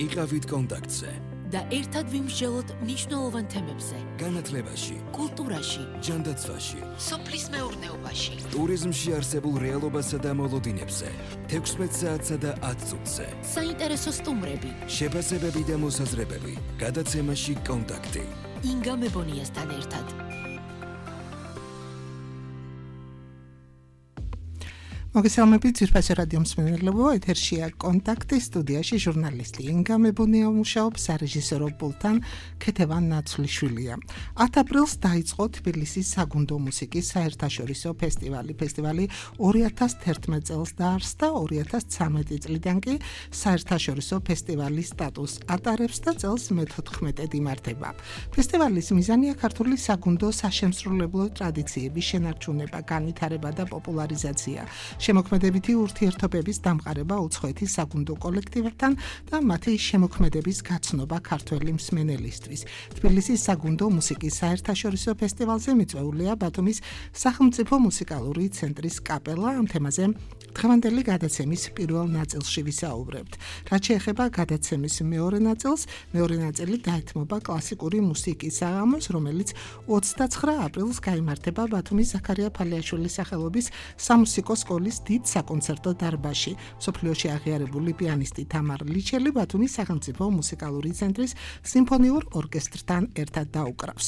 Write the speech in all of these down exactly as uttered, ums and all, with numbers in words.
იყავით კონტაქტზე და ერთად ვიმსჯელოთ მნიშვნელოვან თემებზე. განათლებაში, კულტურაში, ჯანდაცვაში, სოფლის მეურნეობაში, ტურიზმში არსებულ რეალობასა და მოლოდინებზე, თექვსმეტ საათსა და ათ წუთზე. საინტერესო სტუმრები, შეფასებები და მოსაზრებები, გადაცემაში კონტაქტი. ინგა მებონიასთან ერთად. მოგესალმებით ძვირფასი რადიო მსმენელებო, ეთერშია კონტაქტი, სტუდიაში ჟურნალისტი ინგა მებონია მუშაობს, სარეჟისორო პულტთან ქეთევან ნაცვლიშვილია. ათ აპრილს დაიწყო თბილისის საგუნდო მუსიკის საერთაშორისო ფესტივალი. ფესტივალი ორი ათას თერთმეტ წელს დაარსდა, ორი ათას ცხრამეტი წლიდან კი საერთაშორისო ფესტივალის სტატუსს ატარებს და წელს მეთოთხმეტედ იმართება. ფესტივალის მიზანია ქართული საგუნდო საშემსრულებლო ტრადიციების შენარჩუნება, განვითარება და პოპულარიზაცია. შემოქმედებითი ურთიერთობების დამყარება უცხოეთის საგუნდო კოლექტივებთან და მათი შემოქმედების გაცნობა ქართველი მსმენელისთვის. თბილისის საგუნდო მუსიკის საერთაშორისო ფესტივალზე მიწვეულია ბათუმის სახელმწიფო მუსიკალური ცენტრის კაპელა. ამ თემაზე დღევანდელი გადაცემის პირველ ნაწილში ვისაუბრებთ. რაც შეეხება გადაცემის მეორე ნაწილს, მეორე ნაწილი დაეთმობა კლასიკური მუსიკის საღამოს, რომელიც ოცდაცხრა აპრილს გაიმართება ბათუმის ზაქარია ფალიაშვილის სახელობის სამუსიკო სკოლის დიდ საკონცერტო დარბაზში. მსოფლიოში აღიარებული პიანისტი თამარ ლიჩელი ბათუმის სახელმწიფო მუსიკალური ცენტრის სიმფონიურ ორკესტრთან ერთად დაუკრავს.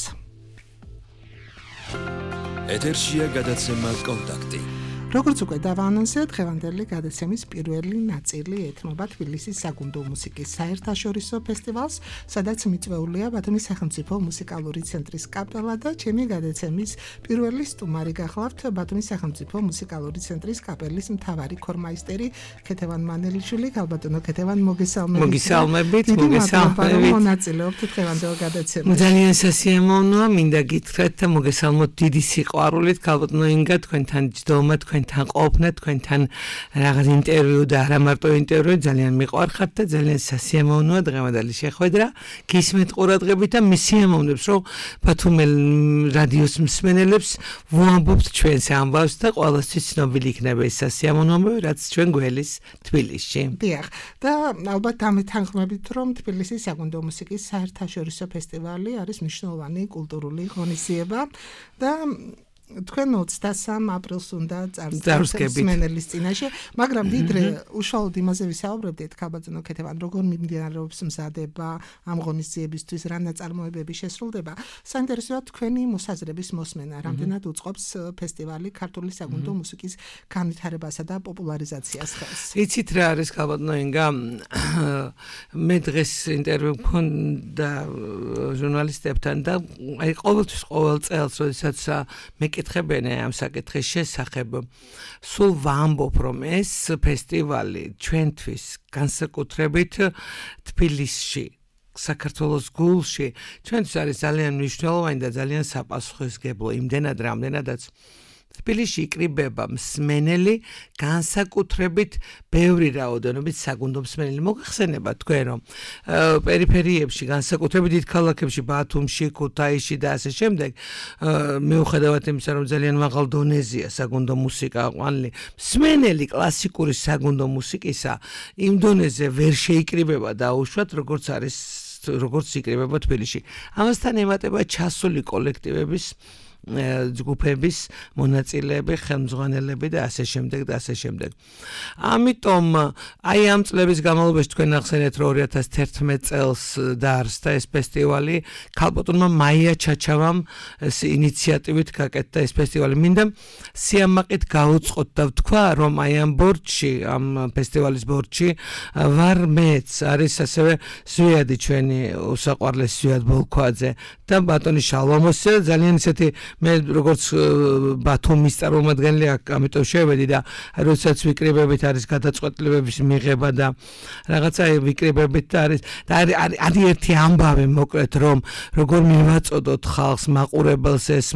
ეთერშია გადაცემა კონტაქტი. როგორც უკვე დავაანონსეთ, დღევანდელი გადაცემის პირველი ნაწილი ეთმობა თბილისის საგუნდო მუსიკის საერთაშორისო ფესტივალს, სადაც მიწვეულია ბათუმის სახელმწიფო მუსიკალური ცენტრის კაპელა და ჩემი გადაცემის პირველი სტუმარი გახლავთ ბათუმის სახელმწიფო მუსიკალური ცენტრის კაპელის მთავარი ქორმაისტერი ქეთევან მანელიშვილი. ქალბატონო ქეთევან, მოგესალმებით. მოგესალმებით, მოგესალმებით. მონაწილეობთ დღევანდელ გადაცემაში. ძალიან სასიამოვნოა, მინდა გითხრათ და მოგესალმოთ დიდი სიყვარულით, ქალბატონო ინგა, თქვენთან ჯდომა, თქვენ თან ყოფნა, თქვენთან რაღაც ინტერვიუ და არა მარტო ინტერვიუ, ძალიან მიყვარხართ და ძალიან სასიამოვნოა დღევანდელი შეხვედრა. გისმენთ ყურადღებით და მისიამოვნებს, რომ ბათუმელ რადიოს მსმენელებს ვუამბობთ ჩვენს ამბავს და ყველასთვის ცნობილი იქნება ეს სასიამოვნო, რაც ჩვენ გველის თბილისში. დიახ, და ალბათ ამეთანხმებით, რომ თბილისის საგუნდო მუსიკის საერთაშორისო ფესტივალი არის მნიშვნელოვანი კულტურული ღონისძიება და თქვენ ოცდასამ აპრილს უნდა წარსდგებით მსმენელის წინაშე, მაგრამ ვიდრე უშუალოდ იმაზე ვისაუბრებდით, ქალბატონო ქეთევან, როგორ მიმდინარეობს მზადება ამ ღონისძიებისთვის, რა ნაწარმოებები შესრულდება, საინტერესოა თქვენი მოსაზრების მოსმენა, რამდენად უწყობს ფესტივალი ქართული საგუნდო მუსიკის განვითარებასა და პოპულარიზაციას ხელს. იცით რა არის ქალბატონო ინგა, მე დღეს ინტერვიუ მქონდა ჟურნალისტებთან და აი ყოველთვის ყოველ წელს, როდესაც მე კითხებენ ამ საკითხის შესახებ, სულ ვამბობ, რომ ეს ფესტივალი ჩვენთვის განსაკუთრებით თბილისში, საქართველოს გულში, ჩვენთვის არის ძალიან მნიშვნელოვანი და ძალიან საპასუხისმგებლო, იმდენად რამდენადაც თბილისში იკრიბება მსმენელი, განსაკუთრებით ბევრი რაოდენობით საგუნდო მსმენელი. მოგახსენებათ თქვენ, რომ პერიფერიებში, განსაკუთრებით დიდ ქალაქებში, ბათუმში, ქუთაისში და ასე შემდეგ, მიუხედავად იმისა, რომ ძალიან მაღალ დონეზეა საგუნდო მუსიკა ყვანილი, მსმენელი კლასიკური საგუნდო მუსიკისა იმ დონეზე ვერ შეიკრიბება დაუშვათ, როგორც არის, როგორც იკრიბება თბილისში. ამასთან ემატება ჩასული კოლექტივების ჯგუფების მონაწილეები, ხელმძღვანელები და ასე შემდეგ და ასე შემდეგ. ამიტომ აი ამ წლების განმავლობაში თქვენ ახსენეთ, რომ ორი ათას თერთმეტ წელს დაარსდა ეს ფესტივალი, ქალბატონმა მაია ჩაჩავამ ინიციატივით გაკეთდა ეს ფესტივალი. მინდა სიამაყით გაუწყოთ და ვთქვა, რომ აი ამ ბორდში, ამ ფესტივალის ბორდში ვარ მეც, არის ასევე ზვიადი ჩვენი უსაყვარლესი ზვიად ბოლქვაძე და ბატონი შალვამოსი, ძალიან ისეთი მე როგორც ბათუმის წარმომადგენელი, ამიტომ შევედი და როდესაც ვიკრიბებით არის გადაწყვეტილებების მიღება და რაღაცა ვიკრიბებით და არის და არის ერთი ამბავი მოკლედ, რომ როგორ მივაწოდოთ ხალხს, მაყურებელს ეს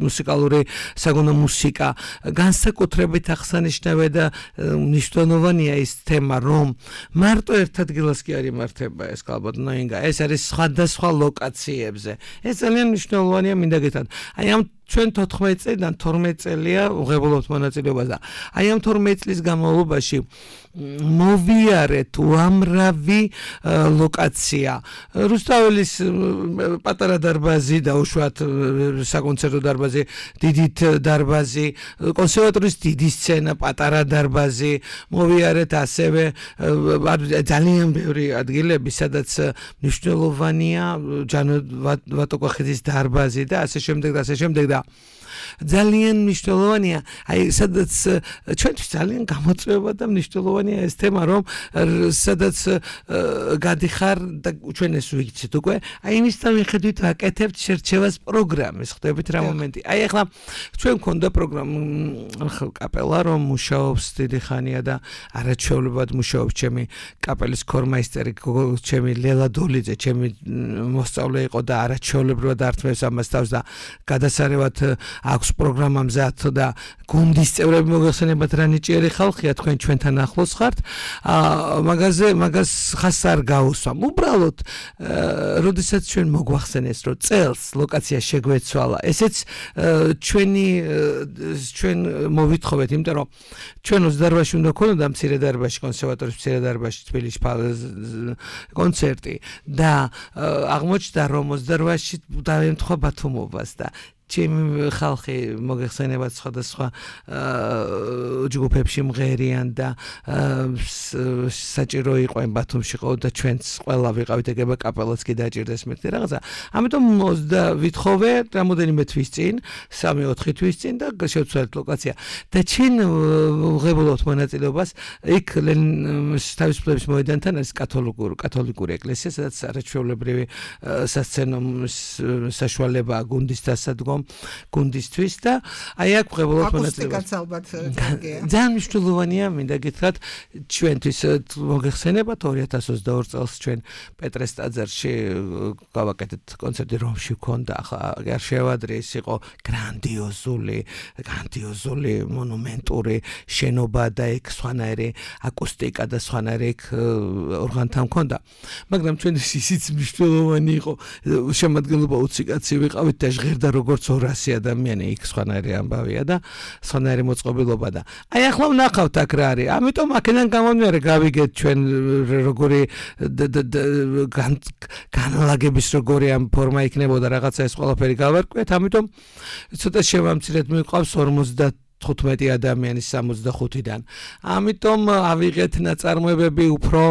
მუსიკალური საგუნდო მუსიკა, განსაკუთრებით აღსანიშნავია და მნიშვნელოვანია ის თემა, რომ მარტო ერთ ადგილას კი არ იმართება ეს ქალბატონო ინგა, ეს არის სხვადასხვა ლოკაციებზე. ეს ძალიან მნიშვნელოვანია, მინდა გითხრათ. აი ამ ჩვენ თოთხმეტ წლიდან თორმეტ წელია ვღებულობთ მონაწილეობას და აი ამ თორმეტ წლის განმავლობაში მოვიარეთ უამრავი ლოკაცია. რუსთაველის პატარა დარბაზი და უშუალოდ საკონცერტო დარბაზი, დიდით დარბაზი, კონსერვატორიის დიდი სცენა, პატარა დარბაზი, მოვიარეთ ასევე ძალიან ბევრი ადგილები, სადაც მნიშვნელოვანია ჯანო ვატოკოხეთის დარბაზი და ასე შემდეგ და ასე შემდეგ და ძალიან მნიშვნელოვანია, აი სადაც ჩვენთვის ძალიან გამოწვევა და მნიშვნელოვანია ეს თემა, რომ სადაც გადიხარ და ჩვენ ეს ვიცით უკვე, აი იმისთან მიხედვით ვაკეთებთ შერჩევას პროგრამის, ხდებით რა მომენტი. აი ახლა ჩვენ მქონდა პროგრამა კაპელა, რომ მუშაობს დიდი ხანია და არაჩვეულებად მუშაობს ჩემი კაპელის ქორმაისტერი, ჩემი ლელა დოლიძე, ჩემი მოსწავლე იყო და არაჩვეულებრივად ართმევს ამას თავს და გადასარევად აქვს პროგრამა მზად და გუნდის წევრები მოგეხსენებათ რა ნიჭიერი ხალხია, თქვენ ჩვენთან ახლოს ხართ. მაგაზე მაგას ხას არ გაუსვამ. უბრალოდ როდესაც ჩვენ მოგვახსენეს, რომ წელს ლოკაცია შეგვეცვალა, ესეც ჩვენი ჩვენ მოვითხოვეთ, იმიტომ რომ ჩვენ ოცდარბაში უნდა ქონოდა მცირე დარბაზში, კონსერვატორიის მცირე დარბაზში თბილისში კონცერტი და აღმოჩნდა რომ ოცდარბაში დაემთხვა ბათუმობას და ჩემი ხალხი მოგეხსენებათ სხვადასხვა ჯგუფებში მღერიან და საჭირო იყო იმ ბათუმში ყო და ჩვენც ყველა ვიყავით ეგება კაპელაც კი დაჭირდეს მეთქი რაღაცა. ამიტომ ვითხოვე რამოდენიმე თვის წინ, სამი ოთხი თვის წინ და შევცვალეთ ლოკაცია. და ჩვენ ვღებულობთ მონაწილეობას იქ თავისუფლების მოედანთან არის კათოლიკური კათოლიკური ეკლესია, სადაც არაჩვეულებრივი სასცენო საშუალება გუნდის დასადგომ გუნდისთვის და აი აქ ვღებულობთ მონაწილეობას. ძალიან მნიშვნელოვანია, მინდა გითხრათ, ჩვენთვის მოგეხსენებათ ორი ათას ოცდაორი წელს ჩვენ პეტრეს ტაძარში გავაკეთეთ კონცერტი რომში ვქონდა, ახლა არ შევადრე, ის იყო გრანდიოზული, გრანდიოზული მონუმენტური შენობა და იქ სხვანაირი აკუსტიკა და სხვანაირი იქ ორღანთან მქონდა. მაგრამ ჩვენთვის ისიც მნიშვნელოვანი იყო, შემადგენლობა ოცი კაცი ვიყავით და ჟღერდა როგორც ორასი ადამიანი, იქ სხვანაირი ამბავია და სხვანაირი მოწყობილობა და აი ახლა ვნახავთ აქ რა არის. ამიტომ აქედან გამომდინარე გავიგეთ ჩვენ როგორი განლაგების როგორი ამ ფორმა იქნებოდა რაღაცა ეს ყველაფერი გავარკვიეთ. ამიტომ ცოტა შევამცირეთ, მიყვავს ორმოცდათხუთმეტი ადამიანის სამოცდახუთიდან. ამიტომ ავიღეთ ნაწარმოებები უფრო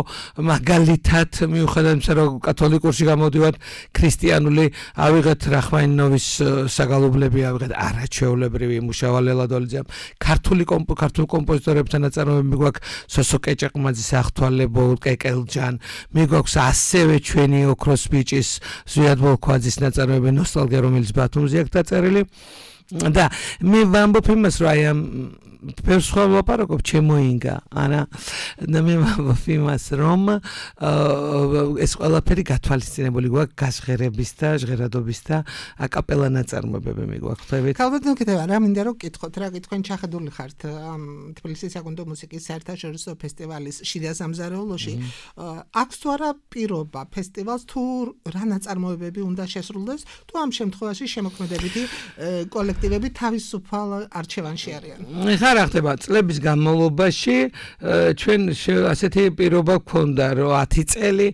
მაგალითად, მიუხედავად იმისა, რომ კათოლიკურში გამოდივართ, ქრისტიანული ავიღეთ რახმანინოვის საგალობლები, ავიღეთ არაჩვეულებრივი მუშავა ლელა დოლიძემ, ქართული ქართულ კომპოზიტორებთან ნაწარმოებები გვაქვს, სოსო კეჭაყმაძის ახთვალე კეკელჯან, მიგვაქვს ასევე ჩვენი ოქროს ბიჭის ზვიად ბოლქვაძის ნაწარმოებები ნოსტალგია, რომელიც ბათუმზე აქვს დაწერილი. და მე ვამბობ იმას, რომ აი ამ ბევრ სხვა ვლაპარაკობ, ჩემოინგა, არა და მე ვამბობ იმას, რომ ეს ყველაფერი გათვალისწინებული გვაქვს გასღერების და ჟღერადობის და აკაპელა ნაწარმოებები მიგვაქვს. ხვდებით? ქალბატონო კიდევ რა მინდა რომ გითხოთ, რა გითხვენ ჩახედული ხართ ამ თბილისის საკონცერტო მუსიკის საერთაშორისო ფესტივალის შიდა სამზარეულოში. აქვს თუ არა პირობა ფესტივალს თუ რა ნაწარმოებები უნდა შესრულდეს, თუ ამ შემთხვევაში შემოქმედებითი კოლექტივები თავისუფალ არჩევანში არიან? რა ხდება წლების განმავლობაში ჩვენ ასეთი პირობა გქონდა, რომ ათი წელი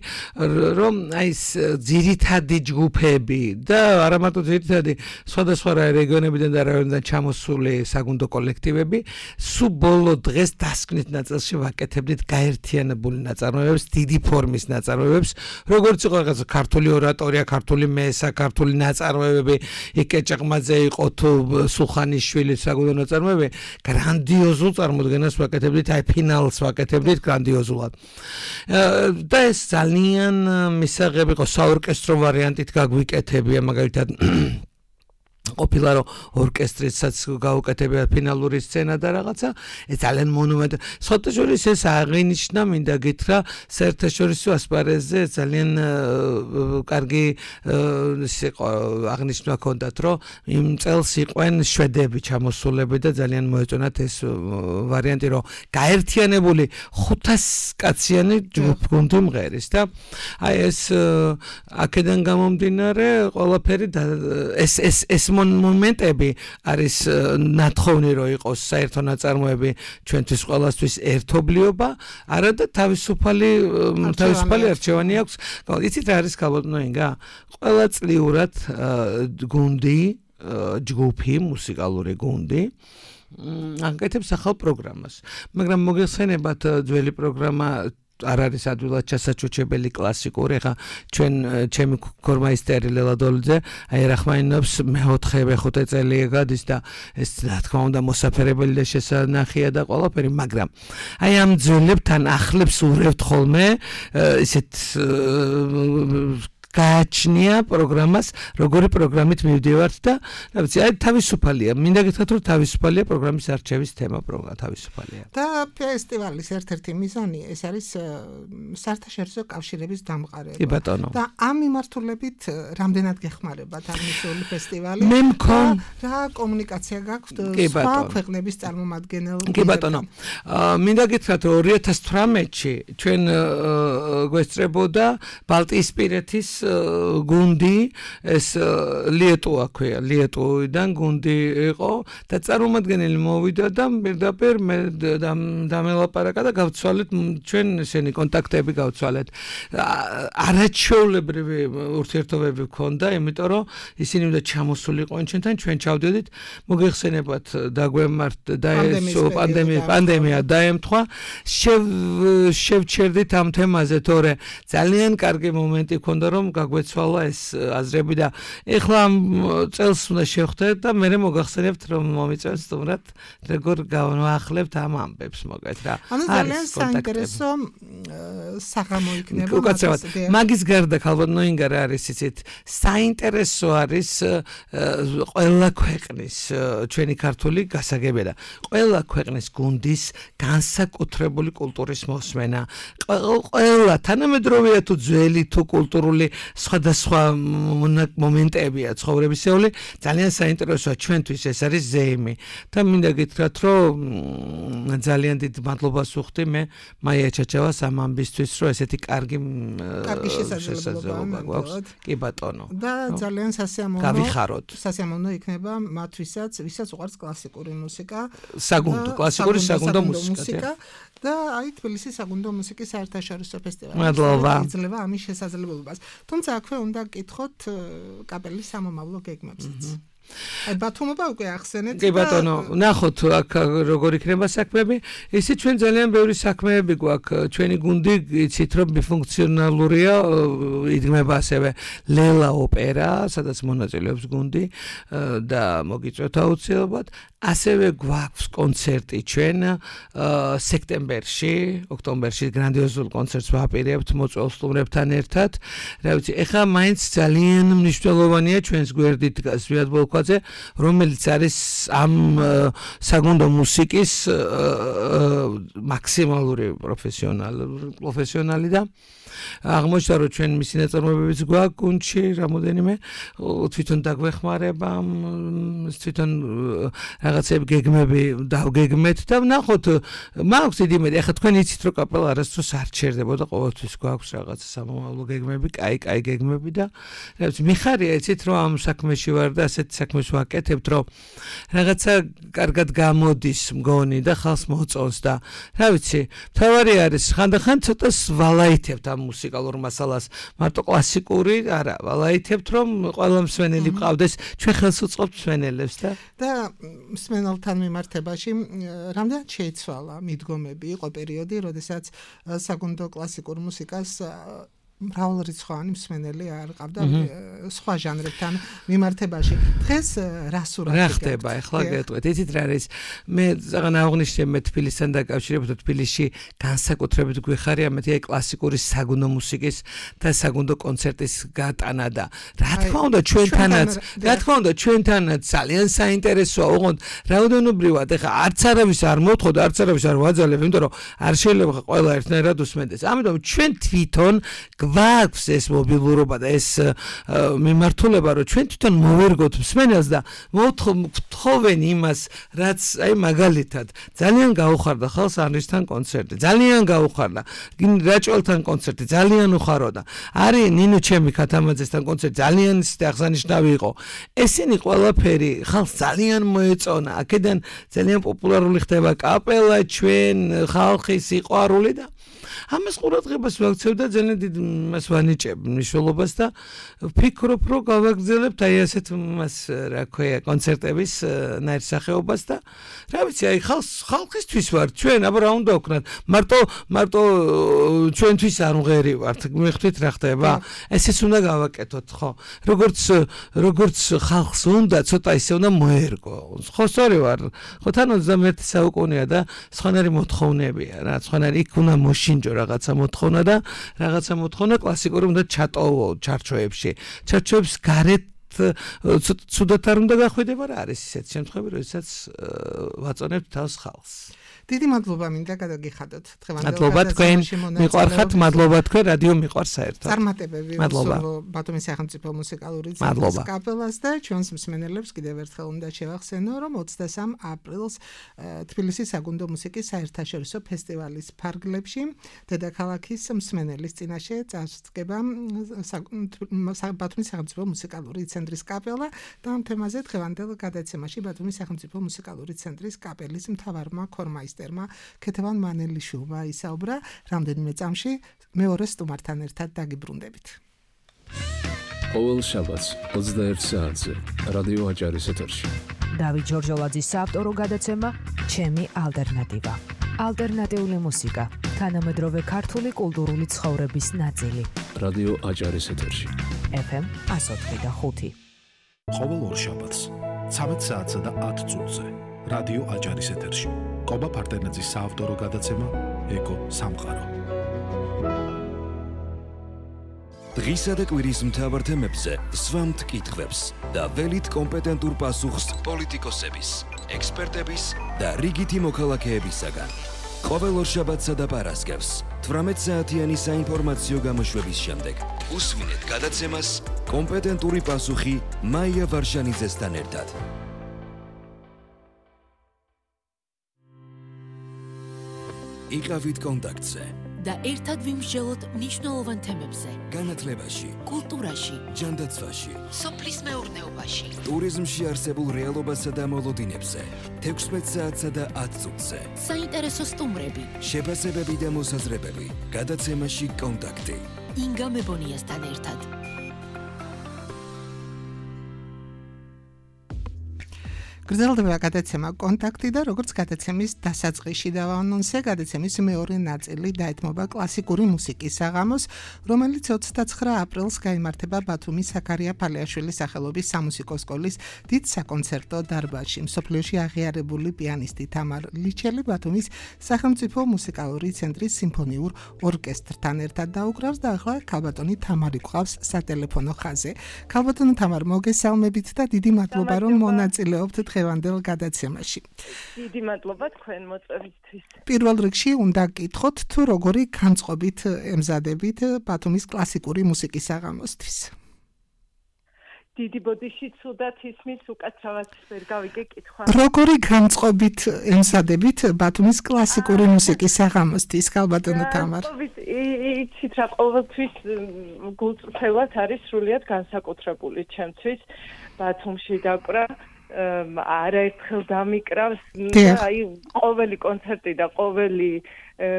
რომ აი ეს ძირითადი ჯგუფები და არა მარტო ძირითადი სხვადასხვა რეგიონებიდან და რაიონიდან ჩამოსული საგუნდო კოლექტივები სულ ბოლო დღეს დასკვნით ნაწილში ვაკეთებდით გაერთიანებული ნაწარმოებებს, დიდი ფორმის ნაწარმოებებს, როგორც იყო რაღაც ქართული ორატორია, ქართული მესა, ქართული ნაწარმოებები, იკეჭაყმაძე იყო თუ სულხანიშვილი საგუნდო ნაწარმოებები, გრანდიოზულ წარმოდგენას ვაკეთებდით, აი ფინალს ვაკეთებდით გრანდიოზულად. და ეს ძალიან მისაღები იყო საორკესტრო ვარიანტით გაგვიკეთებია, მაგალითად ყოფილა რომ ორკესტრიცაც გაუკეთებია ფინალური სცენა და რაღაცა, ეს ძალიან მონუმენტი. საერთაშორისო ეს აღინიშნა, მინდა გითხრა, საერთაშორისო ასპარეზზე ძალიან კარგი იყო აღნიშნა ჰქონდათ, რომ იმ წელს იყვენ შვედები ჩამოსულები და ძალიან მოეწონათ ეს ვარიანტი, რომ გაერთიანებული ხუთას კაციანი ჯგუფი მღერის და აი ეს აქედან გამომდინარე ყველაფერი ეს ეს ეს მომენტები არის ნათხოვნი რომ იყოს საერთო ნაწარმოები ჩვენთვის ყველასთვის ერთობლიობა, არა და თავისუფალი თავისუფალი არჩევანი აქვს. იცით რა არის ქალბატონო ინგა? ყველაწლიურად გუნდი, ჯგუფი, მუსიკალური გუნდი აკეთებს ახალ პროგრამას. მაგრამ მოგეხსენებათ ძველი პროგრამა არ არის ადვილად ჩასაჩუჩებელი კლასიკური, ხა ჩვენ ჩემი ქორმაისტერი ლელადოლიძე აი რახმაინობს მეოთხე მეხუთე წელი გადის და ეს რა თქმა უნდა მოსაფერებელი და შესანახია და ყველაფერი, მაგრამ აი ამ ძვლებთან ახლებს ურევთ ხოლმე ისეთ გააჩნია პროგრამას, როგორი პროგრამით მივდივართ და რა ვიცი, აი თავისუფალია. მინდა გითხრათ, რომ თავისუფალია პროგრამის არჩევის თემა პროგრამა თავისუფალია. და ფესტივალის ერთ-ერთი მიზანი ეს არის საერთაშორისო კავშირების დამყარება. კი ბატონო. და ამ მიმართულებით რამდენად გეხმარებათ აღნიშნული ფესტივალი? მე მქონ რა კომუნიკაცია გაქვთ კი სხვა ბატონო. ქვეყნების წარმომადგენელთა? კი ბატონო. მინდა გითხრათ, რომ ორი ათას თვრამეტში ჩვენ გვესწრებოდა ბალტიისპირეთის გუნდი, ეს ლიეტუა ქვია, ლიეტუიდან გუნდი იყო და წარმომადგენელი მოვიდა და პირდაპირ მე დამელაპარაკა და გავცვალეთ ჩვენ ესენი კონტაქტები გავცვალეთ. არაჩვეულებრივი ურთიერთობები გქონდა, იმიტომ რომ ისინი უნდა ჩამოსულიყვნენ ჩვენთან, ჩვენ ჩავდედით, მოგეხსენებათ დაგვემართ და ეს პანდემია პანდემია დაემთხვა. შევჩერდით ამ თემაზე, თორე ძალიან კარგი მომენტი გქონდა რომ გაგვეცვალა ეს აზრები და ეხლა წელს უნდა შევხვდეთ და მე მოგახსენებთ რომ მომიწევს სტუმრად როგორ გავანახლებთ ამ ამბებს მოგეთ რა. ანუ ძალიან საინტერესო საღამო იქნება. უკაცრავად მაგის გარდა ქალბატონო ინგა რა არის იცით? საინტერესო არის ყველა ქვეყნის ჩვენი ქართული გასაგებია და ყველა ქვეყნის გუნდის განსაკუთრებული კულტურის მოსმენა. ყველა თანამედროვეა თუ ძველი თუ კულტურული სხვადასხვა მომენტებია ცხოვრებისეული, ძალიან საინტერესოა ჩვენთვის ეს არის ზეიმი. და მინდა გითხრათ, რომ ძალიან დიდ მადლობას ვუხდი მე მაია ჩაჩავას ამ ამბისთვის, რომ ესეთი კარგი კარგი შესაძლებლობა გვაქვს. კი ბატონო. და ძალიან სასიამოვნო გავიხაროთ. სასიამოვნო იქნება მათვისაც, ვისაც უყვარს კლასიკური მუსიკა, საგუნდო, კლასიკური საგუნდო მუსიკა. და აი თბილისის საგუნდო მუსიკის საერთაშორისო ფესტივალი მადლობა. იძლევა ამის შესაძლებლობას. თუმცა აქვე უნდა გკითხოთ კაპელის სამომავლო გეგმებსაც. აი ბათუმობა უკვე ახსენეთ. კი ბატონო, ნახოთ აქ როგორ იქნება საქმეები. ისე ჩვენ ძალიან ბევრი საქმეები გვაქვს. ჩვენი გუნდი იცით რომ ბიფუნქციონალურია, იდგმება ასევე ლელა ოპერა, სადაც მონაწილეობს გუნდი და მოგიწევთ აუცილებლად. ასევე გვაქვს კონცერტი ჩვენ სექტემბერში, ოქტომბერში გრანდიოზულ კონცერტს ვაპირებთ მოწვეულ სტუმრებთან ერთად. რა ვიცი, ეხლა მაინც ძალიან მნიშვნელოვანია ჩვენს გვერდით დგას ზვიად ბოლქვაძე, რომელიც არის ამ საგუნდო მუსიკის მაქსიმალური პროფესიონალი პროფესიონალი და აღმოჩნდა რომ ჩვენ მისი ნაწარმოებებიც გვაქვს გუნდში რამოდენიმე, თვითონ დაგვეხმარება, თვითონ რაღაცები გეგმები დავგეგმეთ და ნახოთ, მაქვს დიდი იმედი, ახლა თქვენ იცით რომ კაპელა არასდროს არ ჩერდებოდა, ყოველთვის გვაქვს რაღაცა სამომავლო გეგმები, კაი კაი გეგმები და რა ვიცი, მიხარია იცით რომ ამ საქმეში ვარ და ასეთ საქმეს ვაკეთებთ, რომ რაღაცა კარგად გამოდის მგონი და ხალხს მოწონს და რა ვიცი, თავარი არის ხანდახან ცოტა ვალაითებთ ამ მუსიკალურ მასალას, მარტო კლასიკური არა, ვალაითებთ რომ ყველა მსმენელი გყავდეს, ჩვენ ხელს უწყობთ მსმენელებს და და მსმენელთან მიმართებაში რამდენად შეიცვალა მიდგომები? იყო პერიოდი, როდესაც საგუნდო კლასიკურ მუსიკას მრავალრიცხოვანი მსმენელი არ ყავდა სხვა ჟანრებთან მიმართებაში. დღეს რა სურათი რა ხდება ახლა გეტყვით? იცით რა არის? მე ზაღან აღნიშნე მე თბილისთან დაკავშირებით, თბილისში განსაკუთრებით გვიხარია მე აი კლასიკური საგუნდო მუსიკის და საგუნდო კონცერტის გატანა და რა თქმა უნდა ჩვენთანაც, რა თქმა უნდა ჩვენთანაც ძალიან საინტერესოა, ოღონდ რაოდენობრივად ახლა არც არავის არ მოთხოვ და არც არავის არ ვაძალებ, იმიტომ რომ არ შეიძლება ყველა ერთნაირად უსმენდეს. ამიტომ ჩვენ თვითონ გვაქვს ეს მობილურობა და ეს მიმართულება, რომ ჩვენ თვითონ მოვერგოთ მსმენელს და მოთხოვენ იმას, რაც აი მაგალითად ძალიან გაუხარდა ხალხს ანრისთან კონცერტი, ძალიან გაუხარდა რაჭველთან კონცერტი, ძალიან უხაროდა. არის ნინო ჩემი ქათამაძესთან კონცერტი, ძალიან აღსანიშნავი იყო. ესენი ყველაფერი ხალხს ძალიან მოეწონა. აქედან ძალიან პოპულარული ხდება კაპელა, ჩვენ ხალხის სიყვარული და ამას ყურადღებას ვაქცევ და ძალიან დიდ მას ვანიჭებ მნიშვნელობას და ვფიქრობ, რომ გავაგრძელებთ აი ასეთ მას რა ქვია კონცერტების ნაირსახეობას და რა ვიცი, აი ხალხს ხალხისთვის ვარ ჩვენ, აბა რა უნდა ვქნათ? მარტო მარტო ჩვენთვის არ მღერი ვართ, მიხდით რა ხდება? ესეც უნდა გავაკეთოთ, ხო? როგორც როგორც ხალხს უნდა ცოტა ისე უნდა მოერგო. ხო, სწორი ვარ. ხო, თან ოცდამეერთე საუკუნეა და სხვანაირი მოთხოვნებია რა, სხვანაირი იქ უნდა მოშინჯო რაღაცა მოთხოვნა და რაღაცა მოთხოვნა კლასიკური უნდა ჩატოვო ჩარჩოებში. ჩარჩოებს გარეთ ცუდად არ უნდა გახვედება რა არის ისეთი შემთხვევები, როდესაც ვაწონებთ თავს ხალხს. დიდი მადლობა მინდა გადაგიხადოთ დღევანდელ მადლობა თქვენ მიყვარხართ, მადლობა თქვენ რადიო მიყვარს საერთოდ. წარმატებები უსურვო ბათუმის სახელმწიფო მუსიკალური ცენტრის კაპელას და ჩვენს მსმენელებს კიდევ ერთხელ უნდა შევახსენო, რომ ოცდასამ აპრილს თბილისის საგუნდო მუსიკის საერთაშორისო ფესტივალის ფარგლებში დედაქალაქის მსმენელის წინაშე წარსდგება ბათუმის სახელმწიფო მუსიკალური ცენტრის კაპელა და ამ თემაზე დღევანდელ გადაცემაში ბათუმის სახელმწიფო მუსიკალური ცენტრის კაპელის მთავარმა ქორმაის ქეთევან მანელიშვილმა ისაუბრა. რამდენიმე წამში მეორე სტუმართან ერთად დაგიბრუნდებით. ყოველ შაბათს ოცდაერთ საათზე რადიო აჭარის ეთერში დავით ჯორჯოლაძის საავტორო გადაცემა ჩემი ალტერნატივა. ალტერნატიული მუსიკა, თანამედროვე ქართული კულტურული ცხოვრების ნაწილი. რადიო აჭარის ეთერში ეფ ემ εκατო ოთხი და ხუთი. ყოველ ორ შაბათს ცამეტ საათსა და ათ წუთზე რადიო აჭარის ეთერში კობა ფარდენაძის საავტორო გადაცემა ეკო სამყარო. დღისა და კვირის მთავარ თემებზე სვამთ კითხვებს და ველით კომპეტენტურ პასუხს პოლიტიკოსების, ექსპერტების და რიგითი მოქალაქეებისაგან. ყოველ ორ შაბათსა და პარასკევს თვრამეტ საათიანი საინფორმაციო გამოშვების შემდეგ უსმინეთ გადაცემას კომპეტენტური პასუხი მაია ვარშანიძესთან ერთად. იყავით კონტაქტზე და ერთად ვიმსჯელოთ მნიშვნელოვან თემებზე. განათლებაში, კულტურაში, ჯანდაცვაში, სოფლის მეურნეობაში, ტურიზმში არსებულ რეალობასა და მოლოდინებზე, თექვსმეტ საათსა და ათ წუთზე. საინტერესო სტუმრები, შეფასებები და მოსაზრებები. გადაცემაში კონტაქტი. ინგა მებონიასთან ერთად. გრძელდება გადაცემა კონტაქტი და როგორც გადაცემის დასაწყისში დავაანონსე, გადაცემის მეორე ნაწილი დაეთმობა კლასიკური მუსიკის საღამოს, რომელიც ოცდაცხრა აპრილს გაიმართება ბათუმის ზაქარია ფალიაშვილის სახელობის სამუსიკო სკოლის დიდ საკონცერტო დარბაზში. მსოფლიოში აღიარებული პიანისტი თამარ ლიჩელი ბათუმის სახელმწიფო მუსიკალური ცენტრის სიმფონიურ ორკესტრთან ერთად დაუკრავს და ახლა ქალბატონი თამარი გვყავს სატელეფონო ხაზზე. ქალბატონო თამარ, მოგესალმებით და დიდი მადლობა რომ მონაწილეობთ დღევანდელ გადაცემაში. დიდი მადლობა თქვენ მოწვევისთვის. პირველ რიგში უნდა გკითხოთ, თუ როგორი განწყობით ემზადებით ბათუმის კლასიკური მუსიკის საღამოსთვის. დიდი ბოდიში ცუდად ისმის, უკაცრავად ვერ გავიგე კითხვა. როგორი განწყობით ემზადებით ბათუმის კლასიკური მუსიკის საღამოსთვის, ქალბატონო თამარ? იცით რა, ყოველთვის გულწრფელად არის სრულიად განსაკუთრებული ჩემთვის ბათუმში დაკვრა. არაერთხელ დამიკრავს და აი ყოველი კონცერტი და ყოველი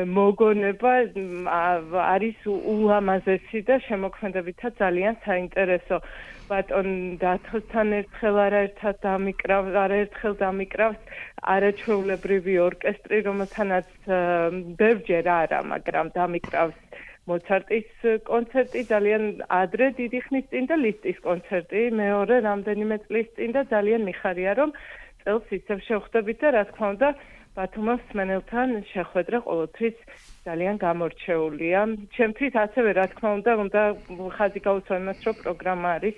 მოგონება არის ულამაზესი და შემოქმედებითაც ძალიან საინტერესო. ბატონ დათოსთან ერთხელ არაერთხელ დამიკრავს, არაერთხელ დამიკრავს არაჩვეულებრივი ორკესტრი, რომელთანაც ბევრჯერ არა, მაგრამ დამიკრავს მოცარტის კონცერტი ძალიან ადრე დიდი ხნის წინ და ლისტის კონცერტი მეორე რამდენიმე წლის წინ და ძალიან მიხარია რომ წელს ისევ შევხვდებით და რა თქმა უნდა ბათუმის მსმენელთან შეხვედრა ყოველთვის ძალიან გამორჩეულია. ჩემთვის ასევე რა თქმა უნდა უნდა ხაზი გაუსვა იმას რომ პროგრამა არის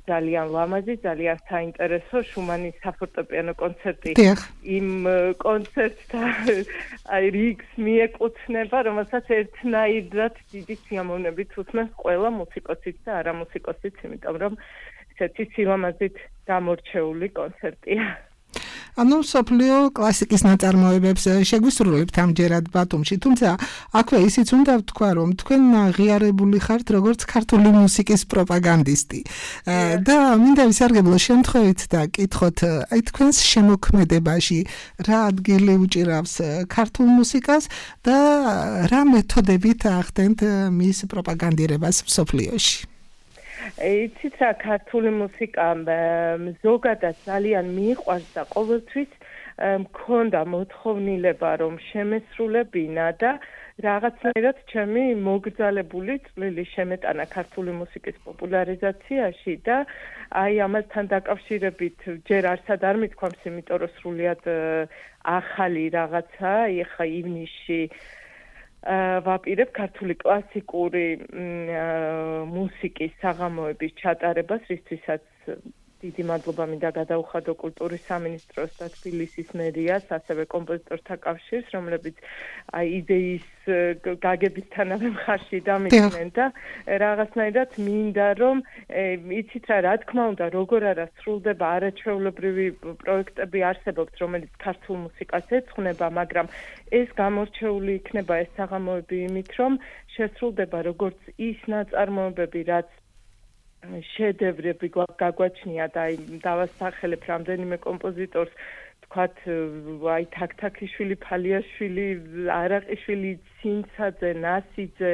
ძალიან ლამაზი, ძალიან საინტერესო შუმანის საფორტეპიანო კონცერტი. იმ კონცერტთან აი რიგს მიეკუთვნება, რომელსაც ერთნაირად დიდი სიამოვნებით უთმენს ყველა მუსიკოსიც და არა მუსიკოსიც, იმიტომ რომ ესეთი სილამაზით გამორჩეული კონცერტია. ანუ სოფლიო კლასიკის ნაწარმოებებს შეგვისრულებთ ამჯერად ბათუმში, თუმცა აქვე ისიც უნდა ვთქვა, რომ თქვენ ღიარებული ხართ როგორც ქართული მუსიკის პროპაგანდისტი. და მინდა ვისარგებლო შემთხვევით და კითხოთ, აი თქვენს შემოქმედებაში რა ადგილი უჭირავს ქართულ მუსიკას და რა მეთოდებით ახდენთ მის პროპაგანდირებას სოფლიოში? იცით რა, ქართული მუსიკა ზოგადად ძალიან მიყვარს და ყოველთვის მქონდა მოთხოვნილება რომ შემესრულებინა და რაღაცნაირად ჩემი მოგრძალებული წვლილი შემეტანა ქართული მუსიკის პოპულარიზაციაში და აი ამასთან დაკავშირებით ჯერ არსად არ მithქვამს, იმიტომ რომ სრულიად ახალი რაღაცა, ეხა ივნისში ვაპირებ ქართული კლასიკური მუსიკის საღამოების ჩატარებას, რისთვისაც დიდი მადლობა მინდა გადაუხადო კულტურის სამინისტროს და თბილისის მერიას, ასევე კომპოზიტორთა კავშირს, რომლებიც აი იდეის გაგებისთანავე მხარში დამიდგნენ და რაღაცნაირად მინდა რომ იცით რა, რა თქმა უნდა, როგორ არა სრულდება არაჩვეულებრივი პროექტები არსებობს, რომელიც ქართულ მუსიკას ეძღვნება, მაგრამ ეს გამორჩეული იქნება ეს საღამოები იმით, რომ შესრულდება როგორც ის ნაწარმოებები, რაც შედევრები გაგვაჩნია და აი დავასახელებ რამდენიმე კომპოზიტორს, თქვათ აი თაქთაქიშვილი, ფალიაშვილი, არაყიშვილი, ცინცაძე, ნასიძე,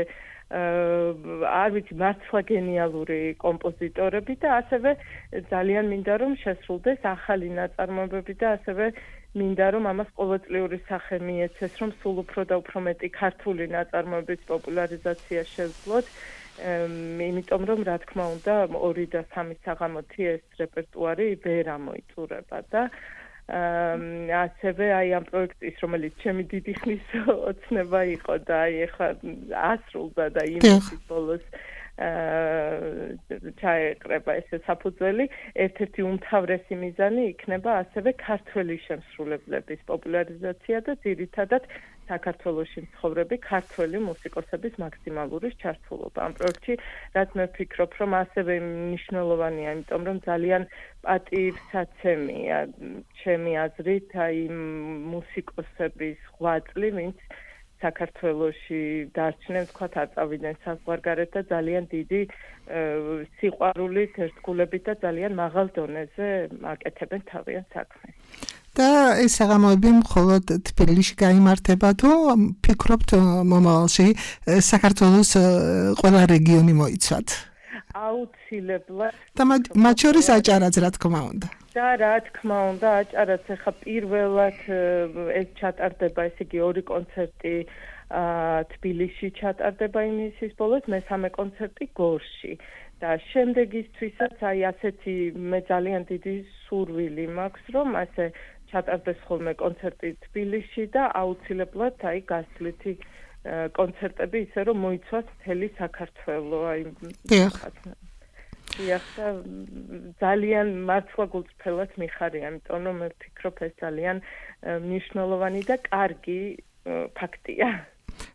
არ ვიცი, მართლა გენიალური კომპოზიტორები და ასევე ძალიან მინდა რომ შესრულდეს ახალი ნაწარმოებები და ასევე მინდა რომ ამას ყოველწლიური სახე მიეცეს, რომ სულ უფრო და უფრო მეტი ქართული ნაწარმოებების პოპულარიზაცია შევძლოთ. იმიტომ რომ რა თქმა უნდა ორი და სამი საღამოთი ეს რეპერტუარი ვერ ამოიწურება და ასევე აი ამ პროექტის, რომელიც ჩემი დიდი ხნის ოცნება იყო და აი ახლა ასრულდა და იმის ბოლოს ჩაეყრება ესე საფუძველი, ერთ-ერთი უმთავრესი მიზანი იქნება ასევე ქართველი შემსრულებლების პოპულარიზაცია და ძირითადად საქართველოში მცხოვრები ქართველი მუსიკოსების მაქსიმალური ჩართულობა. ამ პროექტში, რაც მე ვფიქრობ, რომ ასევე მნიშვნელოვანია, იმიტომ რომ ძალიან პატივსაცემია ჩემი აზრით აი მუსიკოსების ღვაწლი, ვინც საქართველოში დარჩნენ, თქვათ, აწავიდნენ საზღვარგარეთ და ძალიან დიდი სიყვარულით, ერთგულებით და ძალიან მაღალ დონეზე აკეთებენ თავიანთ საქმეს. და ეს საღამოები მხოლოდ თბილისში გაიმართება თუ ფიქრობთ მომავალში საქართველოს ყველა რეგიონი მოიცვათ? აუცილებლად. და მათ შორის აჭარაც, რა თქმა უნდა. და რა თქმა უნდა, აჭარაც ახლა პირველად ეს ჩატარდება, ესე იგი ორი კონცერტი თბილისში ჩატარდება ივნისის ბოლოს, მესამე კონცერტი გორში. და შემდეგისთვისაც აი ასეთი მე ძალიან დიდი სურვილი მაქვს, რომ ასე ჩატარდეს ხოლმე კონცერტი თბილისში და აუცილებლად აი გასვლითი კონცერტები ისე რომ მოიცვას მთელი საქართველო. აი დიახ, ძალიან მართლა გულწრფელად მიხარია, იმიტომ რომ მე ვფიქრობ ეს ძალიან მნიშვნელოვანი და კარგი ფაქტია.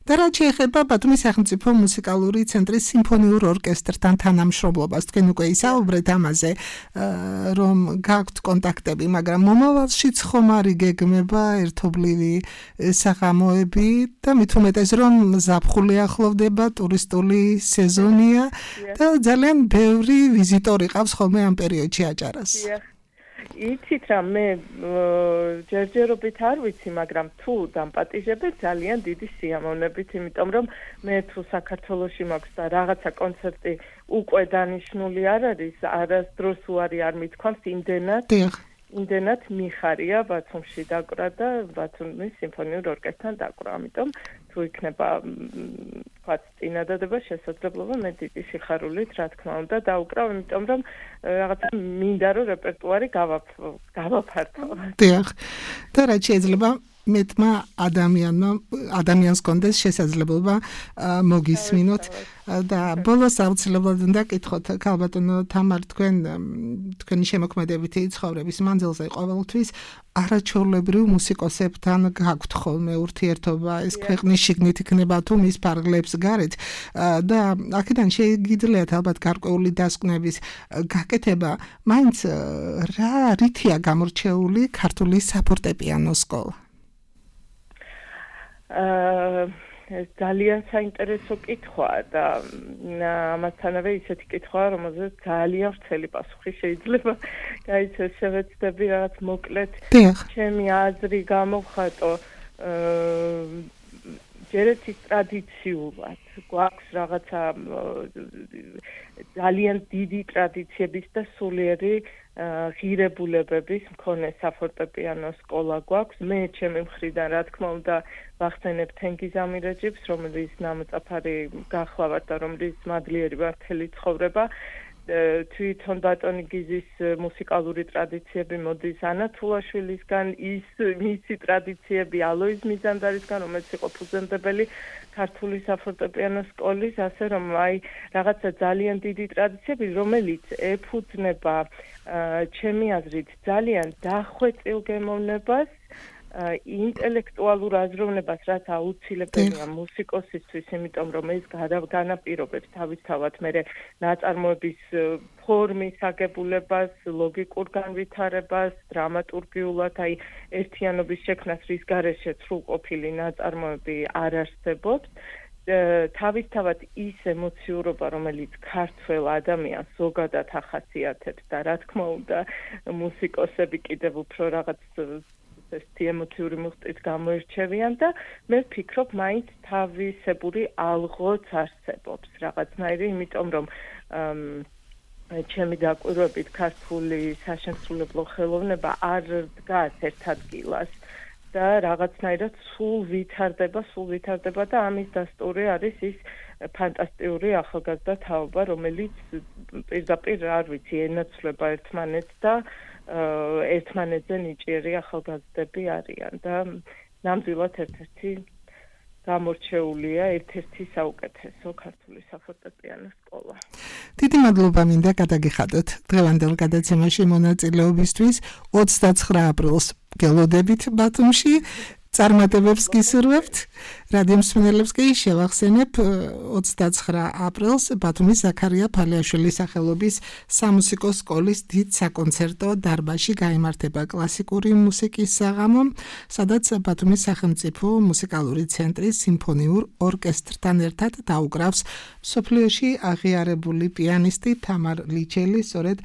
და რაც შეეხება ბათუმის სახელმწიფო მუსიკალური ცენტრის სიმფონიურ ორკესტრთან თანამშრომლობას, თქვენ უკვე ისაუბრეთ ამაზე, რომ გაქვთ კონტაქტები, მაგრამ მომავალშიც ხომ არ იგეგმება ერთობლივი საღამოები და მით უმეტეს რომ ზაფხული ახლოვდება, ტურისტული სეზონია და ძალიან ბევრი ვიზიტორი ყავს ხოლმე ამ პერიოდში აჭარას. იცით რა, მე ჯერჯერობით არ ვიცი, მაგრამ თუ დამპატიჟებთ ძალიან დიდი სიამოვნებით, იმიტომ რომ მე თუ საქართველოში მაქვს და რაღაცა კონცერტი უკვე დანიშნული არ არის, არასდროს უარი არ მithქვამს, იმდენად იმდენად მიხარია ბათუმში დაკვრა და ბათუმის სიმფონიურ ორკესტრთან დაკვრა, ამიტომ თუ იქნება თქვათ წინადადება შესაძლებლობა, მე დიდი სიხარულით რა თქმა უნდა დაუკრავ, იმიტომ რომ რაღაცა მინდა რომ რეპერტუარი გავაფართო. დიახ. და რაც შეიძლება მეტმა ადამიანმა ადამიანს კონდეს შესაძლებლობა მოგისმინოთ და ბოლოს აუცილებლად უნდა კითხოთ ქალბატონო თამარ თქვენ თქვენი შემოქმედებითი ცხოვრების მანძილზე ყოველთვის არაჩვეულებრივ მუსიკოსებთან გაქვთ ხოლმე ურთიერთობა ეს ქვეყნის შიგნით იქნება თუ მის ფარგლებს გარეთ და აქედან შეგიძლიათ ალბათ გარკვეული დასკვნების გაკეთება მაინც რა რითია გამორჩეული ქართული საფორტეპიანო სკოლა აა ეს ძალიან საინტერესო კითხვაა და ამათანავე ისეთი კითხვაა, რომელზეც ძალიან ვრცელი პასუხი შეიძლება გაიცეს. შევეცდები რაღაც მოკლედ ჩემი აზრი გამოვხატო. ჯერეთი ტრადიციულად გვაქვს რაღაცა ძალიან დიდი ტრადიციების და სულიერი ღირებულებების მქონე საფორტეპიანო სკოლა გვაქვს. მე ჩემი მხრიდან რა თქმა უნდა ვახსენებ თენგიზ ამირეჯიბს, რომელიც ნამოწაფარი გახლავართ და რომელიც მადლიერი ვარ მთელი ცხოვრება. თვითონ ბატონი გიზის მუსიკალური ტრადიციები მოდის ანა თულაშვილისგან, ის მისი ტრადიციები ალოიზ მიზანდარისგან, რომელიც იყო ფუძემდებელი ქართული საფორტეპიანო სკოლის, ასე რომ აი რაღაცა ძალიან დიდი ტრადიციები, რომელიც ეფუძნება ჩემი აზრით ძალიან დახვეწილ გემოვნებას, ინტელექტუალურ აზროვნებას, რაც აუცილებელია მუსიკოსისთვის, იმიტომ რომ ეს განაპირობებს თავისთავად მერე ნაწარმოების ფორმის აგებულებას, ლოგიკურ განვითარებას, დრამატურგიულად, აი ერთიანობის შექმნას, რის გარეშე სრულყოფილი ნაწარმოები არ არსებობს. თავისთავად ის ემოციურობა, რომელიც ქართველ ადამიანს ზოგადად ახასიათებს და რა თქმა უნდა მუსიკოსები კიდევ უფრო რაღაც ესეთი ემოციური მუხტით გამოირჩევიან და მე ვფიქრობ, მაინც თავისებური ალღოც არსებობს რაღაცნაირი, იმიტომ რომ ჩემი დაკვირვებით ქართული საშემსრულებლო ხელოვნება არ დგას ერთ ადგილას და რაღაცნაირად სულ ვითარდება, სულ ვითარდება და ამის დასტური არის ის ფანტასტიკური ახალგაზრდა თაობა, რომელიც პირდაპირ არ ვიცი, ენაცვლება ერთმანეთს და ერთმანეთზე ნიჭიერი ახალგაზრდები არიან და ნამდვილად ერთ-ერთი გამორჩეულია, ერთ-ერთი საუკეთესო ქართული საფორტეპიანო სკოლა. დიდი მადლობა მინდა გადაგიხადოთ დღევანდელ გადაცემაში მონაწილეობისთვის. ოცდაცხრა აპრილს გელოდებით ბათუმში. წარმატებებს გისურვებთ. რადიო მსმენელებს კი შევახსენებ ოცდაცხრა აპრილს ბათუმის ზაქარია ფალიაშვილის სახელობის სამუსიკო სკოლის დიდ საკონცერტო დარბაზში გაიმართება კლასიკური მუსიკის საღამო, სადაც ბათუმის სახელმწიფო მუსიკალური ცენტრის სიმფონიურ ორკესტრთან ერთად დაუკრავს მსოფლიოში აღიარებული პიანისტი თამარ ლიჩელი, სწორედ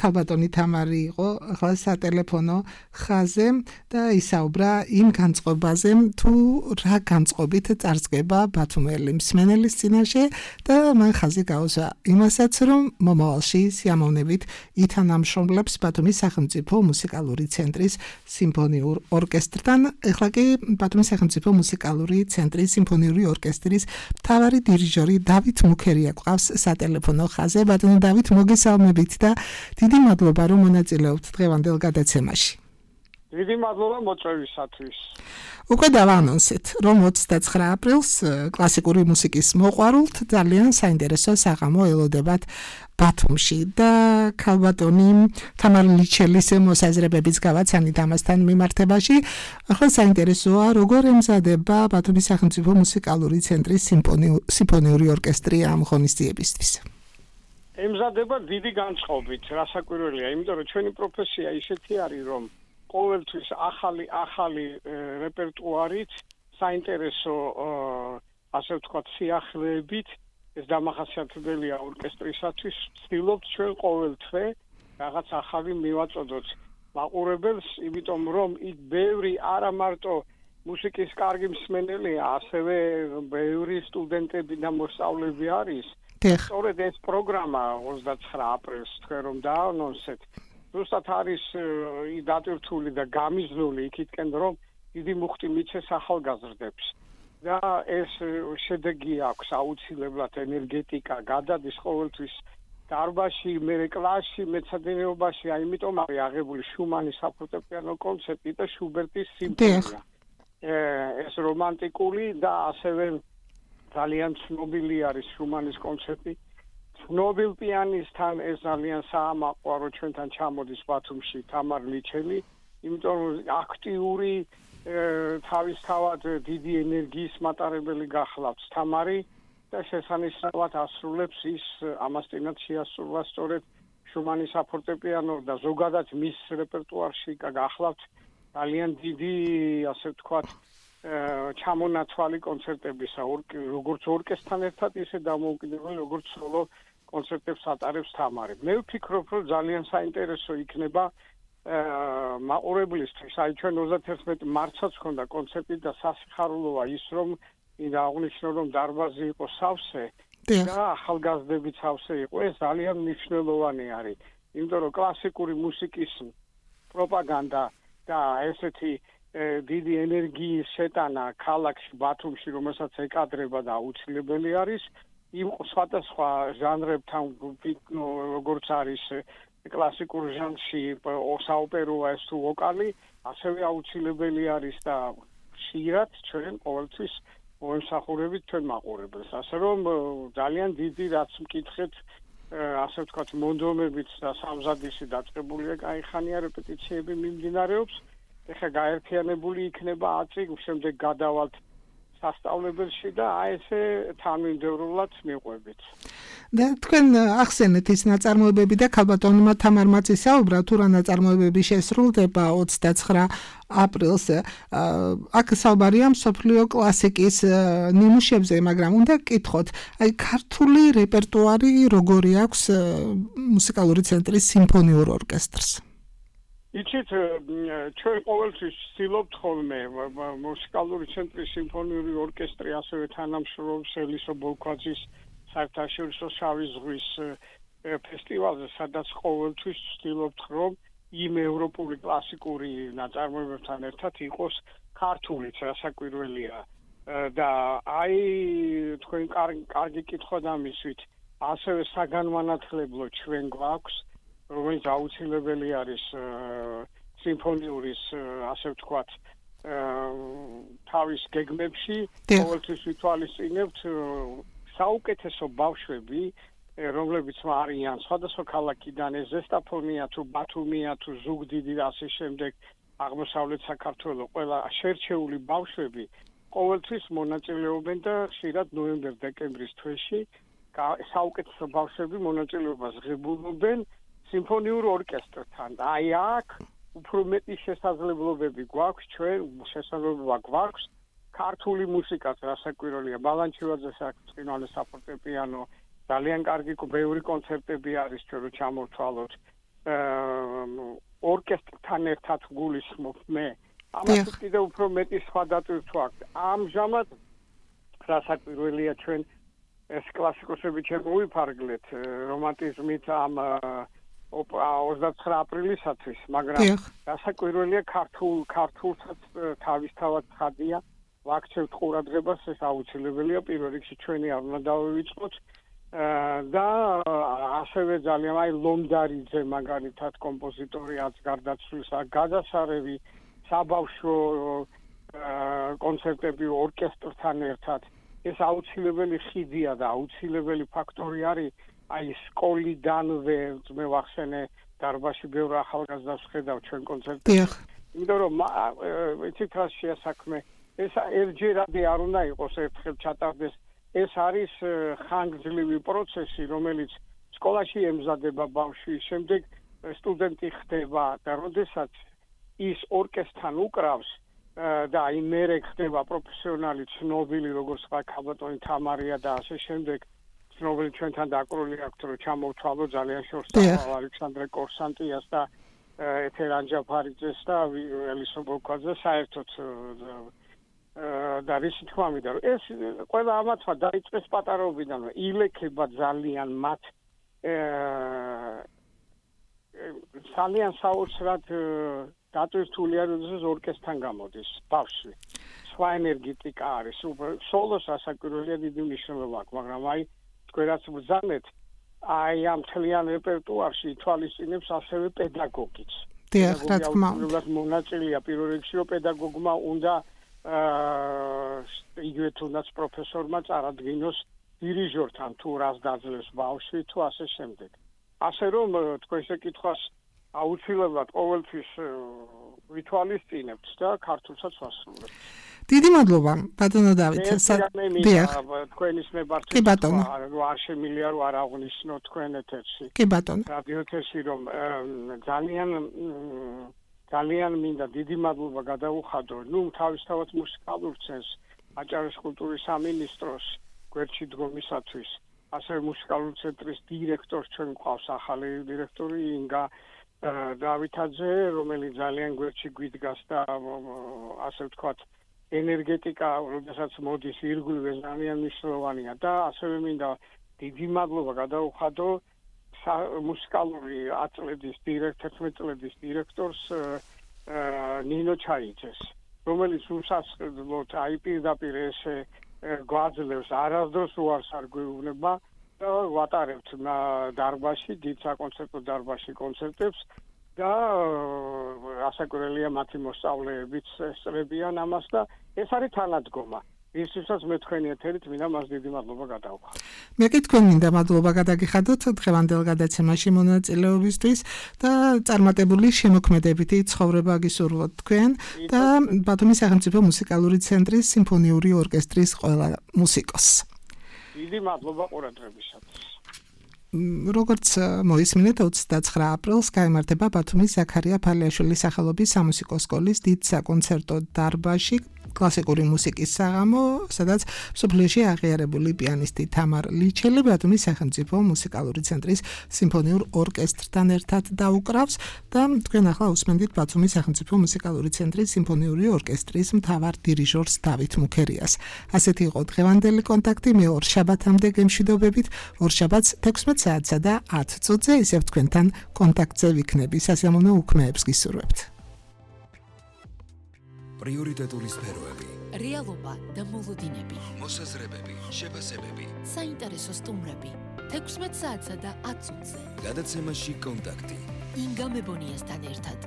ქალბატონი თამარი იყო ახლა სატელეფონო ხაზზე და ისაუბრა იმ განწყობაზე, თუ რა განწყობით წარსდგება ბათუმელი მსმენელის წინაშე და მან ხაზი გაუსვა იმასაც, რომ მომავალში სიამოვნებით ითანამშრომლებს ბათუმის სახელმწიფო მუსიკალური ცენტრის სიმფონიურ ორკესტრთან. ახლა კი ბათუმის სახელმწიფო მუსიკალური ცენტრის სიმფონიური ორკესტრის მთავარი დირიჟორი დავით მუქერია გვყავს სატელეფონო ხაზზე. ბატონო დავით, მოგესალმებით და დიდი მადლობა, რომ მონაწილეობთ დღევანდელ გადაცემაში. დიდი მადლობა მოწვევისათვის. უკვე დავანონსეთ, რომ ოცდაცხრა აპრილს კლასიკური მუსიკის მოყვარულთ ძალიან საინტერესო საღამო ელოდებათ ბათუმში და ქალბატონი თამარ ლიჩელის მოსაზრებების გავაცანით ამასთან მიმართებაში. ახლა საინტერესოა, როგორ ემზადება ბათუმის სახელმწიფო მუსიკალური ცენტრის სიმფონიური ორკესტრი ამ ღონისძიებისთვის. ემზადება დიდი განწყობით, რასაკვირველია, იმიტომ რომ ჩვენი პროფესია ისეთი არის, რომ ყოველთვის ახალი ახალი რეპერტუარით, საინტერესო ასე ვთქვათ, სიახლეებით, ეს დამახასიათებელია ორკესტრისათვის, ვცდილობთ ჩვენ ყოველ თვე რაღაც ახალი მივაწოდოთ მაყურებელს, იმიტომ რომ იქ ბევრი არა მარტო მუსიკის კარგი მსმენელია, ასევე ბევრი სტუდენტები და მოსწავლეები არის. სწორედ ეს პროგრამა ოცდაცხრა აპრილს თქვენ რომ დაანონსეთ, ზუსტად არის დატვირთული და გამიზნული იქითკენ, რომ დიდი მუხტი მიცეს ახალგაზრდებს და ეს შედეგი აქვს აუცილებლად, ენერგეტიკა გადადის ყოველთვის დარბაზში, მერე კლასში, მეცადინეობაში, აი იმიტომ არის აღებული შუმანის საფორტეპიანო კონცერტი და შუბერტის სიმფონია. ეს რომანტიკული და ასევე ძალიან ცნობილი არის შუმანის კონცერტი. ცნობილ პიანისტთან ეს ძალიან საამაყოა, რომ ჩვენთან ჩამოდის ბათუმში თამარ ლიჩელი, იმიტომ რომ აქტიური თავისთავად დიდი ენერგიის მატარებელი გახლავთ თამარი და შესანიშნავად ასრულებს ის ამასთანავ შეასრულა სწორედ შუმანის საფორტეპიანო და ზოგადად მის რეპერტუარში გახლავთ ძალიან დიდი, ასე ვთქვათ, ჩამონათვალი კონცერტებისა, როგორც ორკესტრთან ერთად, ისე დამოუკიდებელი, როგორც სოლო კონცერტებს ატარებს თამარი. მე ვფიქრობ, რომ ძალიან საინტერესო იქნება მაყურებლისთვის. აი ჩვენ ოცდაერთი მარტსაც ჰქონდა კონცერტი და სასიხარულოა ის, რომ მინდა აღვნიშნო, რომ დარბაზი იყო სავსე და ახალგაზრდები სავსე იყო. ეს ძალიან მნიშვნელოვანი არის, იმიტომ რომ კლასიკური მუსიკის პროპაგანდა და ესეთი დიდი ენერგიის შეტანა ქალაქში ბათუმში, რომელსაც ეკადრება და აუცილებელი არის, იმ სხვადასხვა ჟანრებთან, როგორც არის კლასიკურ ჟანრში საოპეროა ეს თუ ვოკალი, ასევე აუცილებელი არის და ხშირად ჩვენ ყოველთვის მოემსახურებით ჩვენ მაყურებელს. ასე რომ ძალიან დიდი რაც მკითხეთ, ასე ვთქვათ, მონდომებით და სამზადისი დაწყებულია, გაიხანია რეპეტიციები მიმდინარეობს. ეხლა გაერთიანებული იქნება ათი, შემდეგ გადავალთ სასწავლებელში და აი ესე თანმიმდევრულად მიყვებით. და თქვენ ახსენეთ ის ნაწარმოებები და ქალბატონმა თამარმაც ისაუბრა, თუ რა ნაწარმოებები შესრულდება ოცდაცხრა აპრილს. აქ საუბარია მსოფლიო კლასიკის ნიმუშებზე, მაგრამ უნდა გკითხოთ, აი ქართული რეპერტუარი როგორი აქვს მუსიკალური ცენტრის სიმფონიურ ორკესტრს? იცით, ჩვენ ყოველთვის ვცდილობთ ხოლმე მუსიკალური ცენტრის სიმფონიური ორკესტრი ასევე თანამშრომლობს ელისო ბოლქვაძის საერთაშორისო შავი ზღვის ფესტივალზე, სადაც ყოველთვის ვცდილობთ, რომ იმ ევროპული კლასიკური ნაწარმოებებთან ერთად იყოს ქართულიც, რასაკვირველია. და აი თქვენ კარგი კითხვა დამისვით, ასევე საგანმანათლებლო ჩვენ გვაქვს, რომელიც აუცილებელი არის სიმფონიურის, ასე ვთქვათ, თავის გეგმებში, ყოველთვის ვითვალისწინებთ საუკეთესო ბავშვები, რომლებიც არიან სხვადასხვა ქალაქიდან, ეს ზესტაფონია თუ ბათუმია თუ ზუგდიდი და ასე შემდეგ, აღმოსავლეთ საქართველოს ყველა შერჩეული ბავშვები ყოველთვის მონაწილეობენ და ხშირად ნოემბერ-დეკემბრის თვეში საუკეთესო ბავშვები მონაწილეობას ღებულობენ სიმფონიურ ორკესტრთან. აი აქ უფრო მეტი შესაძლებლობები გვაქვს, ჩვენ შესაძლებლობა გვაქვს ქართული მუსიკას, რასაკვირველია, ბალანჩივაძეს აქვს წინვალე საფორტეპიანო, ძალიან კარგი ბევრი კონცერტები არის ჩვენ რო ჩამოვთვალოთ. ორკესტრთან ერთად გულისხმობ მე. ამას კიდევ უფრო მეტი სხვა დატვირთვა აქვს. ამჟამად რასაკვირველია ჩვენ ეს კლასიკოსები შემოვიფარგლეთ რომანტიზმით ამ ოცდაცხრა აპრილისათვის, მაგრამ რასაკვირველია ქართულ ქართულსაც თავისთავად ხადია ვაქცევთ ყურადღებას, ეს აუცილებელია პირველ რიგში ჩვენი არ უნდა დავივიწყოთ და ასევე ძალიან აი ლომდარიძე მაგალითად კომპოზიტორი რაც გარდაცვლისა გადასარევი საბავშვო კონცერტები ორკესტრთან ერთად ეს აუცილებელი ხიდია და აუცილებელი ფაქტორი არის აი სკოლიდანვე მე ვახსენე დარბაზში ბევრ ახალგაზრდას ხედავ ჩვენ კონცერტებში. იმიტომ რომ იცით რა შეასაქმე ეს ერთჯერადი არ უნდა იყოს ერთხელ ჩატარდეს. ეს არის ხანგრძლივი პროცესი, რომელიც სკოლაში ემზადება ბავშვი, შემდეგ სტუდენტი ხდება და როდესაც ის ორკესტრთან უკრავს და აი მერე ხდება პროფესიონალი ცნობილი როგორც ქალბატონი თამარია და ასე შემდეგ ცნობილი ჩვენთან დაკრული აქვს რომ ჩამოვთვალო ძალიან შორს ალექსანდრე კორსანტიას და ეთერ ანჯაფარიძეს და ელისო ბოლქვაძეს საერთოდ და რის თქმა უნდა ეს ყველა ამათმა დაიწყეს პატარაობიდან ილექება ძალიან მათ ძალიან საოცრად დატვირთული არის ორკესტრთან გამოდის ბავშვი სხვა ენერგეტიკა არის სოლოს ასაკურველია დიდი მნიშვნელობა აქვს მაგრამ აი თქვენაც ბრძანეთ აი ამ მთლიან რეპერტუარში თვალისწინებს ასევე პედაგოგიც დიახ რა თქმა უნდა მონაწილეა პირველ რიგში რომ პედაგოგმა უნდა აა იგივე თუნდაც პროფესორმა წარადგინოს დირიჟორთან თუ რას დაძლევს ბავშვი თუ ასე შემდეგ. ასე რომ თქვენ ესე კითხვას აუცილებლად ყოველთვის ვითვალისწინებთ და ქართულსაც ვასრულებთ. დიდი მადლობა ბატონო დავით. დიახ, თქვენის მებართვით არ შემიძლია რომ არ აღვნიშნო თქვენ ეთერში. კი ბატონო. რადიო ეთერში რომ ძალიან ძალიან მინდა დიდი მადლობა გადაუხადო, ნუ თავისთავად მუსიკალურ ცენს აჭარის კულტურის სამინისტროს გვერდში დგომისათვის, ასევე მუსიკალური ცენტრის დირექტორს ჩვენ გვყავს ახალი დირექტორი ინგა დავითაძე, რომელიც ძალიან გვერდში გვიდგას და ასე ვთქვათ ენერგეტიკა, როდესაც მოდის ირგვლივ ძალიან მნიშვნელოვანია და ასევე მინდა დიდი მადლობა გადაუხადო მუსიკალური აწლედის დირექტორს, წლების დირექტორს ნინო ჩაიძეს, რომელიც უსასყიდლოდ აი პირდაპირ ესე გვაძლევს არასდროს უარს არ გვეუბნება და ვატარებთ დარბაზში, დიდ საკონცერტო დარბაზში კონცერტებს და ასაკურელია მათი მოსწავლეებიც ესწრებიან ამას და ეს არის თანადგომა. ისთვისაც მე თქვენი ეთერით მინდა მას დიდი მადლობა გადავხადო. მე კი თქვენ მინდა მადლობა გადაგიხადოთ დღევანდელ გადაცემაში მონაწილეობისთვის და წარმატებული შემოქმედებითი ცხოვრება გისურვოთ თქვენ და ბათუმის სახელმწიფო მუსიკალური ცენტრის სიმფონიური ორკესტრის ყველა მუსიკოსს. დიდი მადლობა ყურადღებისათვის. როგორც მოისმინეთ ოცდაცხრა აპრილს გაიმართება ბათუმის ზაქარია ფალიაშვილის სახელობის სამუსიკო სკოლის დიდ საკონცერტო დარბაზში კლასიკური მუსიკის საღამო, სადაც მსოფლიოში აღიარებული პიანისტი თამარ ლიჩელი ბათუმის სახელმწიფო მუსიკალური ცენტრის სიმფონიურ ორკესტრთან ერთად დაუკრავს და თქვენ ახლა უსმენთ ბათუმის სახელმწიფო მუსიკალური ცენტრის სიმფონიური ორკესტრის მთავარ დირიჟორს დავით მუქერიას. ასეთი იყო დღევანდელი კონტაქტი, მე ორ შაბათამდე გემშვიდობებით, ორ შაბათს თექვსმეტ საათსა და ათ წუთზე ისევ თქვენთან კონტაქტზე ვიქნები. სასიამოვნო უქმეებს გისურვებთ. პრიორიტეტული სფეროები, რეალობა და მოლოდინები, მოსაზრებები, შეფასებები, საინტერესო სტუმრები, თექვსმეტ საათსა და ათ წუთზე. გადაცემაში კონტაქტი. ინგა მებონიასთან ერთად.